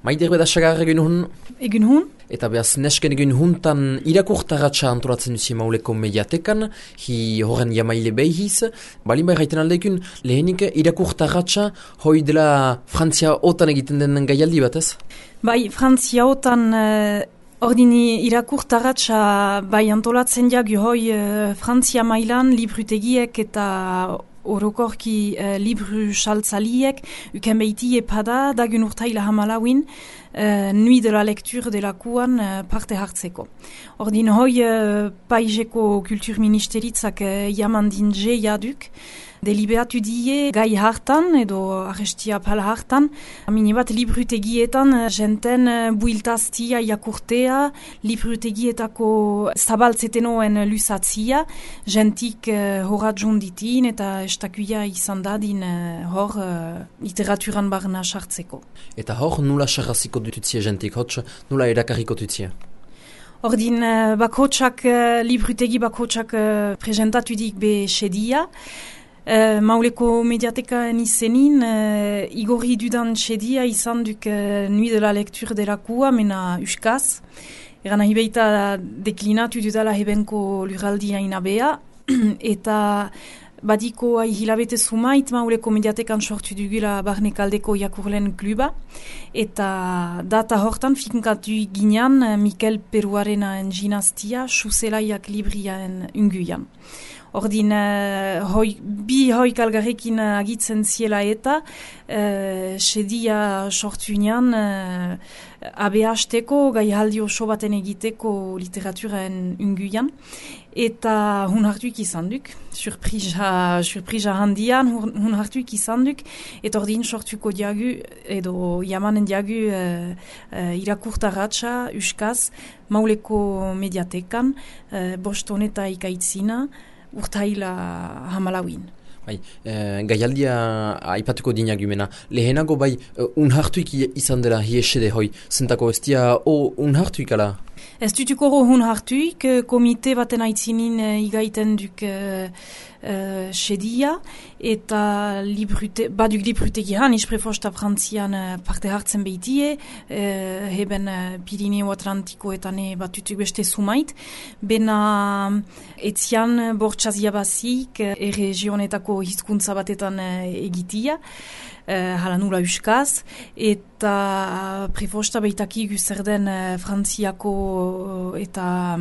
Maider bedasagar egin hun? Egun hun? Eta behaz nesken egin huntan irakurtaratsa antolatzen duzi mauleko mediatekan, hi horren jamaile behiz, balin bai gaiten aldekun, lehenik irakurtaratsa hoi dela Frantzia otan egiten den gaialdi bat ez? Bai, Frantzia otan ordini irakurtaratsa bai antolatzen jagu hoi Frantzia mailan librutegiek eta orokorki libru saltzaliek uken beiti epada dagun urtaila hamalauin Nuit de la lecture delakuan parte hartzeko. Ordin hoi paizeko kulturministeritzak jamandin jaduk, deliberatu die gai hartan edo arrestia pala hartan, minibat librutegietan jenten builtaztia jakurtea, librutegietako zabaltzetenoen lusatzia, jentik horatjun ditin eta estakuia izan dadin hor literaturan barna sartzeko. Eta hor nula sarraziko dututzia jentik, hotz nula erakarriko dututzia? Ordin bakotsak, librutegi bakotsak presentatu dik be sedia, Mauleko mediatekan izenin, igorri dudan txedia izan duk Nuit de la lecture delakua, mena uskaz. Eran nahi beita deklinatu dudala hebenko luraldia inabea, eta badiko hilabete sumait Mauleko mediatekan sortu dugula barnekaldeko jakurlen kluba, eta data hortan finkatu ginean Mikel Peruarenaen ginastia, Xuselaiak libriaen unguian. Ordin, bi hoi kalgarekin agitzen ziela eta sedia sortunean ABH-teko gai haldi oso baten egiteko literaturaen unguian. Eta hun hartuik izan duk, surprisa handian hun hartuik izan duk, eta ordin sortuko diagu, edo jamanen diagu irakurtaratsa, uskaz, Mauleko mediatekan, boston eta ikaitzina, urtaila hamalauin. Bai, gaialdia aipatuko dinagumena. Lehenago bai, unhartuik izan dela hiesede hoi, zentako ez dia unhartuik ala? Ez dutuko unhartuik, komite baten aitzinin igaiten duk sedia, eta baduk librutegian, isprefosta Frantzian parte hartzen behitie, heben Pirineo Atlantikoetan batutuk beste sumait, bena etzian bortxaz jabazik erregionetako hizkuntza batetan egitia, hala nula uskaz, eta prefosta behitaki zer den Frantziako eta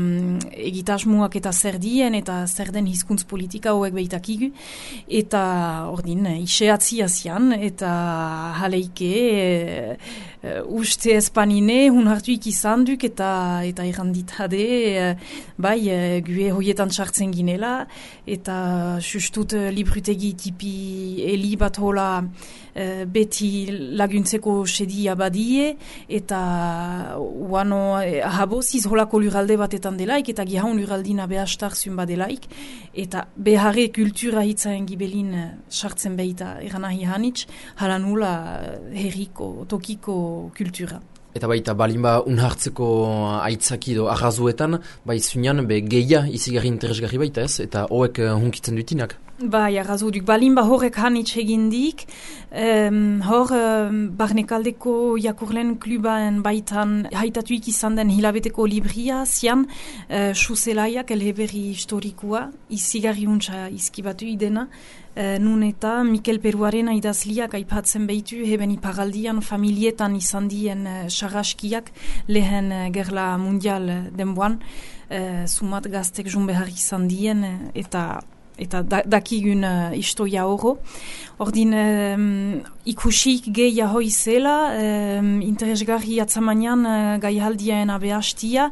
egitasmuak eta zer dien, eta zer den hizkuntz politika hauek behitakigu, eta ordin iseatzi azian, eta jaleike uste espanine hun hartuik izan duk, eta erranditade bai gue hoietan sartzen ginela, eta sustut librutegi tipi eli bat hola beti laguntzeko sedia badie, eta uano haboziz holako luralde batetan delaik, eta gihaun luraldina behastar zun badelaik, eta beharre kultura hitzaen gibelin sartzen behita eranahi hanitz, hala nula herriko, tokiko kultura. Eta baita balinba unhartzeko aitzaki edo arrazuetan, bai zunean be geia izigarri interesgarri baita ez, eta hoek hunkitzen dutinak. Bai, arrazuduk, balinba horrek hanitz egindik, hor barnekaldeko jakurlen klubaen baitan haitatuik izan den hilabeteko libria, zian Xuselaiak elheberri historikoa, izigarri untsa izkibatu idena, nun eta Mikel Peruarena idazliak aipatzen behitu heben iparaldian familietan izan dien sarraskiak lehen gerla mundial denboan, sumat gaztek jun behar izan dien eta dakigun istoia oro. Ordin ikusik geia hoi zela, interesgarri atzamanean gaihaldiaen abehastia,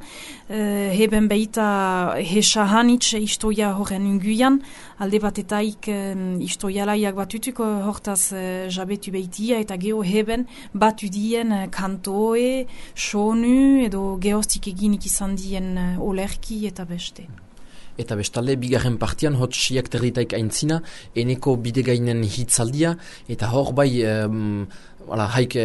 heben behita hesa hanitz istoia horren unguian, alde batetaik istoialaiak batutuk hortaz jabetu behitia, eta geho heben batu dien kantoe, sonu, edo geostik eginik izan dien olerki eta beste. Eta bestalde, bigarren partian, hot siak terditaik aintzina, eneko bidegainen hitzaldia, eta hor bai haik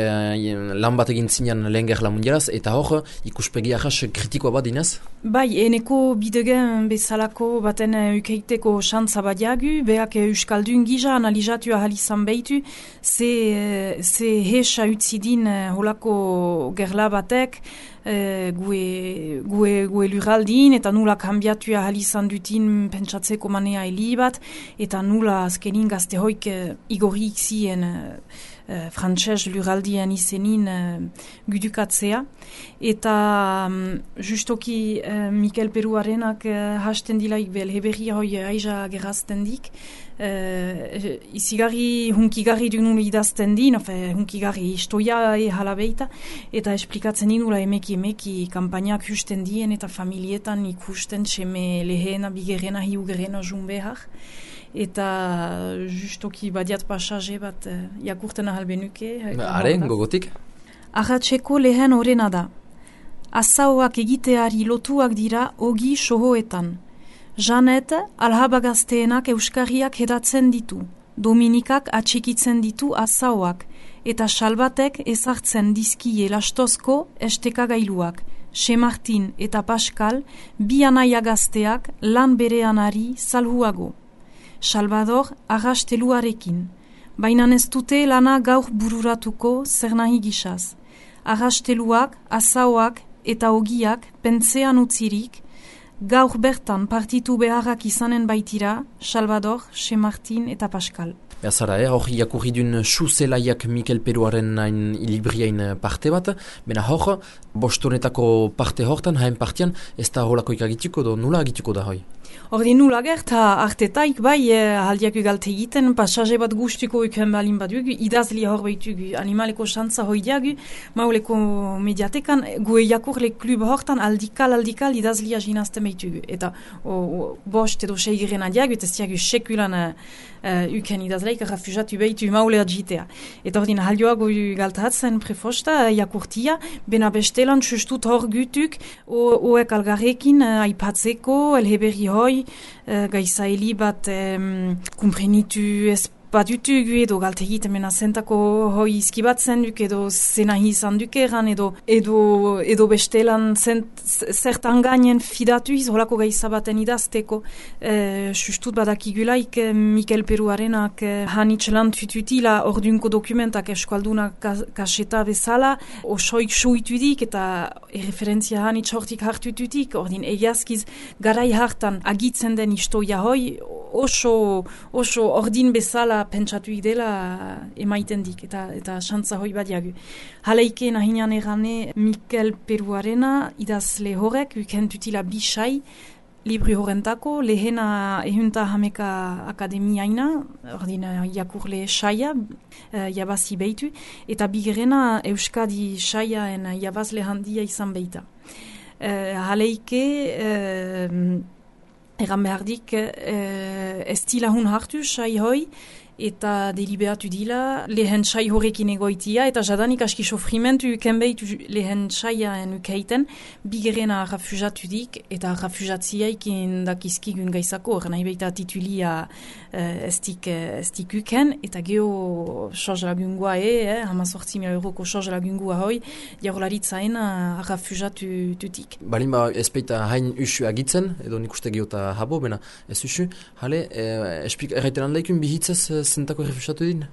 lan bat egin zinean lehen gerla mundialaz, eta hor ikuspegi ahas kritikoa bat dinez? Bai, eneko bidegen bezalako baten ukeiteko xantza bat jagu, beak euskaldun gisa analizatu ahal izan behitu, ze hesa utzidin holako gerla batek, gue luraldin, eta nula kambiatu ahal izan dutin pentsatzeko manea heli bat, eta nula azkenin gazte hoik igorrik zien frantses luraldien izenin gudukatzea. Eta justoki Mikel Peruarenak hasten dilaik belheberri hoi aiza gerazten dik. Izigarri hunkigarri dunulu idazten din, hunkigarri istoia halabeita, eta esplikatzen dinula emeki kampainak justen dien eta familietan ikusten seme lehena, bigerena, hiugerena junbehar. Eta justoki badiat pasaje bat jakurten ahal benuke. Haren, gogotik? Arratseko lehen horrena da. Azauak egiteari lotuak dira ogi sohoetan. Janet alhabagazteenak euskarriak hedatzen ditu. Dominikak atxikitzen ditu azauak. Eta Salbatek ezartzen dizkie lastozko estekagailuak. Martin eta Pascal bi anaia gazteak lan bereanari salhuago. Salvador arrasteluarekin. Baina ez dute lana gaur bururatuko zer nahi gisaz. Arrasteluak, azauak eta ogiak pentsean utzirik, gaur bertan partitu beharrak izanen baitira Salvador, Martin eta Pascal. Zara, hor jakurri duen suzelaiak Mikel Peruaren hain libriain parte bat, bena hor, bostonetako parte hortan, hain partian, ez da holako ikagituko do, nula agituko da hoi? Hordi nula gerta artetaik bai haldiak ugalte egiten, pasaje bat guztuko uken balin bat dugu, idazli hor behitugu, animaleko xantza hoi diagu, mauleko mediatekan, gue jakurle klub hortan aldikal idazlia jinazten behitugu. Eta bost edo seigirena diagu, eta ez diagu sekulan uken idazleik refugatu behitu maulea jitea. Eta ordin haldioago galtatzen prefosta jakurtia, bena bestelan sustut hor gutuk, oek algarrekin aipatzeko, elheberri hoi, gaizaeli bat kumprenitu badutugu edo galtegit mena zentako hoi izkibatzen duk edo zenahi izan duk eran edo bestelan zertan gainen fidatuiz holako gaizabaten idazteko sustut badakigulaik Mikel Peruarenak hanitxelan tututila ordunko dokumentak eskualdunak kaseta bezala osoik suitudik eta referentzia hanitx hortik hartututik ordin egiazkiz garai hartan agitzen den istoia hoi oso ordin bezala pentsatuik dela emaiten dik, eta xantza hoi badiagu. Haleike nahinean erane Mikel Peruarena idazle horrek, ukentutila bisai, libri horrentako, lehena ehunta hameka akademiaina, ordina jakurle saia, jabazi behitu, eta bigerena Euskadi saiaen jabazle handia izan behita. Haleike egan behardik ez dila hun hartu sai hoi, eta deliberatu dila lehen sai horrekin egoitia, eta jadanik aski sofrimentu ukenbeitu lehen saiaen ukeiten, bigerena refugatu dik, eta refugatiaikin dakizkigun gaizako, nahi baita titulia estik uken, eta geho sorge lagungua €180.000 sorge lagungua hoi, jarolaritzaen refugatu tutik. Balin ba ez peita hain usu agitzen, edo nik uste geota habo, bena ez usu, hale, erraiten handaikun bihitzez zentako refusatu din?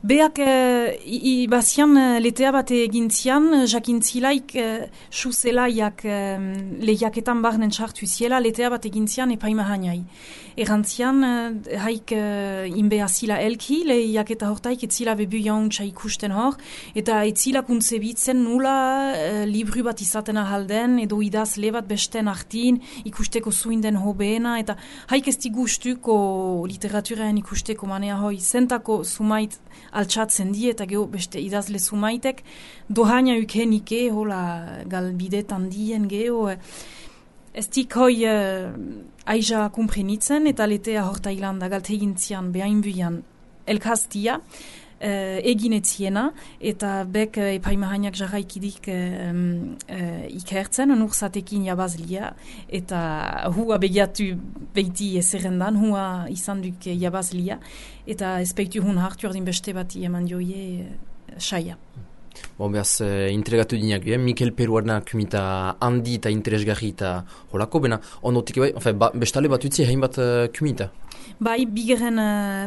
Beak bazian letea bat egintzian, jakintzilaik suzelaiak lehiaketan barnen sartu ziela, letea bat egintzian epaima hainai. Erantzian, haik inbeazila elki, lehiaketa hortaik etzila bebu jauntza ikusten hor, eta etzila kuntzebitzen nula libru bat izaten ahalden, edo idazle bat besten artin, ikusteko zuinden hobeena, eta haik ez gustuko literaturaen ikusteko manea hoi, zentako sumait altxatzen die, eta geho beste idazle sumaitek, dohaina ukenike, hola galbidetan dien geho, ez dik hoi aiza kumprenitzen, eta letea horta hilanda galtegintzian behain buian elkaztia, eginetziena, eta bek epaimahainak jarraikidik ikertzen, nurzatekin jabazlia, eta hua begiatu behiti ezerrendan, hua izan duk jabazlia, eta ez peitu hun hartu ordin beste bati eman joie saia. Behaz, entregatu dinak, Mikel Peruarna kumita handi eta interesgarri eta holako, bena ondotik bestale bat utzi hainbat kumita. Bai, bigeren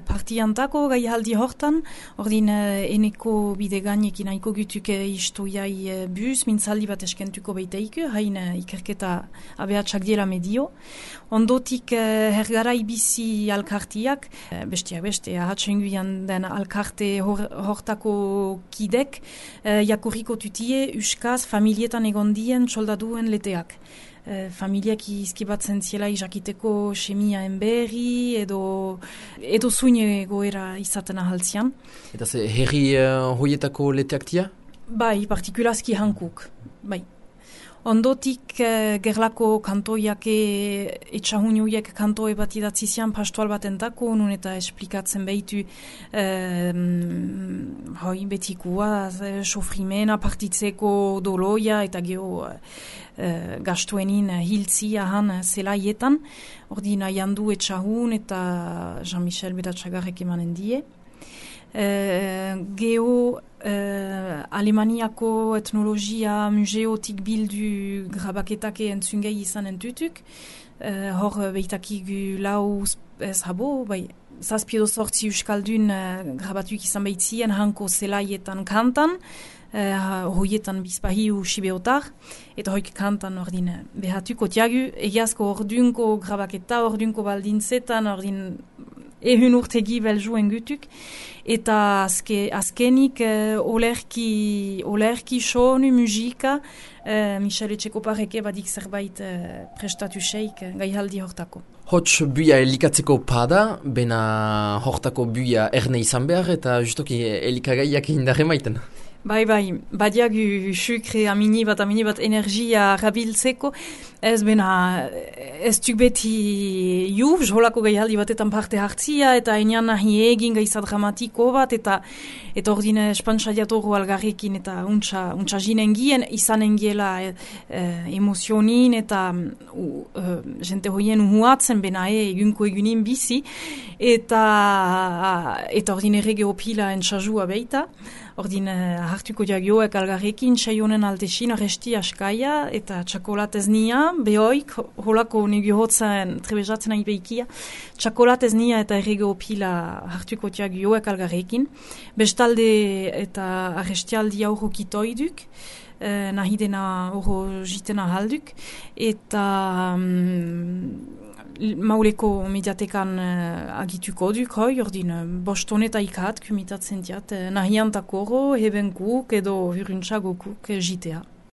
partiantako gai haldi hortan, ordin eneko bide gainekin haiko gutuk istoiai bus, mintzaldi bat eskentuko beiteiku, hain ikerketa abeatsak diela medio. Ondotik hergarai bizi alkartiak, bestiak beste, ahatsenguian den alkarte hortako kidek, jakurriko tutie uskaz familietan egondien soldaduen leteak. Familiak izkibatzen ziela izakiteko semia berri edo zuine goera izaten ahaltzian. Eta ze herri hoietako leteak tia? Bai, partikulazki hankuk, bai. Ondotik gerlako kantoiak etxahuniuiek kantoe bat idatzi zian pastoal batentako, nun eta esplikatzen behitu betikua, sofrimena partitzeko doloia eta geho gastuenin hiltzia han zelaietan. Ordina jandu etxahun eta Jean-Michel Bedatxagarrek emanen die. Geho Alemaniako etnologia museotik bildu grabaketake entzungei izan entutuk. Hor behitakigu lau habo, bai, zazpiedo sortzi euskaldun grabatuik izan behitzien hanko zelaietan kantan, hoietan bizpahiu sibeotar, eta hoik kantan ordin behatuko tiagu, egiazko ordunko grabaketa, ordunko baldintzetan, ordin ehun urtegi beljuen gutuk, eta azkenik olerki sonu musika, Michel Etxekopareke badik zerbait prestatu seik gaihaldi hortako. Hots buia elikatzeko pada, bena hortako buia erne izan behar, eta justoki elikagaiak indarre maiten. Bai, badiagu sukre amini bat energia rabiltzeko, ez duk beti jubz, holako gaialdi batetan parte hartzia, eta enean nahi egin gaiza dramatiko bat, eta ordine espantzadiatoru algarrekin, eta untsa jinen gien, izanen giela emozionin, eta jente hoien uhuatzen, bena egunko egunin bizi, eta ordine rege opila entsazua beita, ordin hartuko diagioek algarrekin saionen altesin arresti askaia eta txakolatez nia, behoik, holako negio hotzen trebezatzen nahi behikia, txakolatez nia eta errego pila hartuko diagioek algarrekin. Bestalde eta arrestialdi aurro kitoiduk, nahi dena aurro jitena halduk, eta Mauleko mediatekan agituko duk, ordin bostoneta ikat kumitatzen diat, nahiantako heben guk edo huruntzagokuk jitea.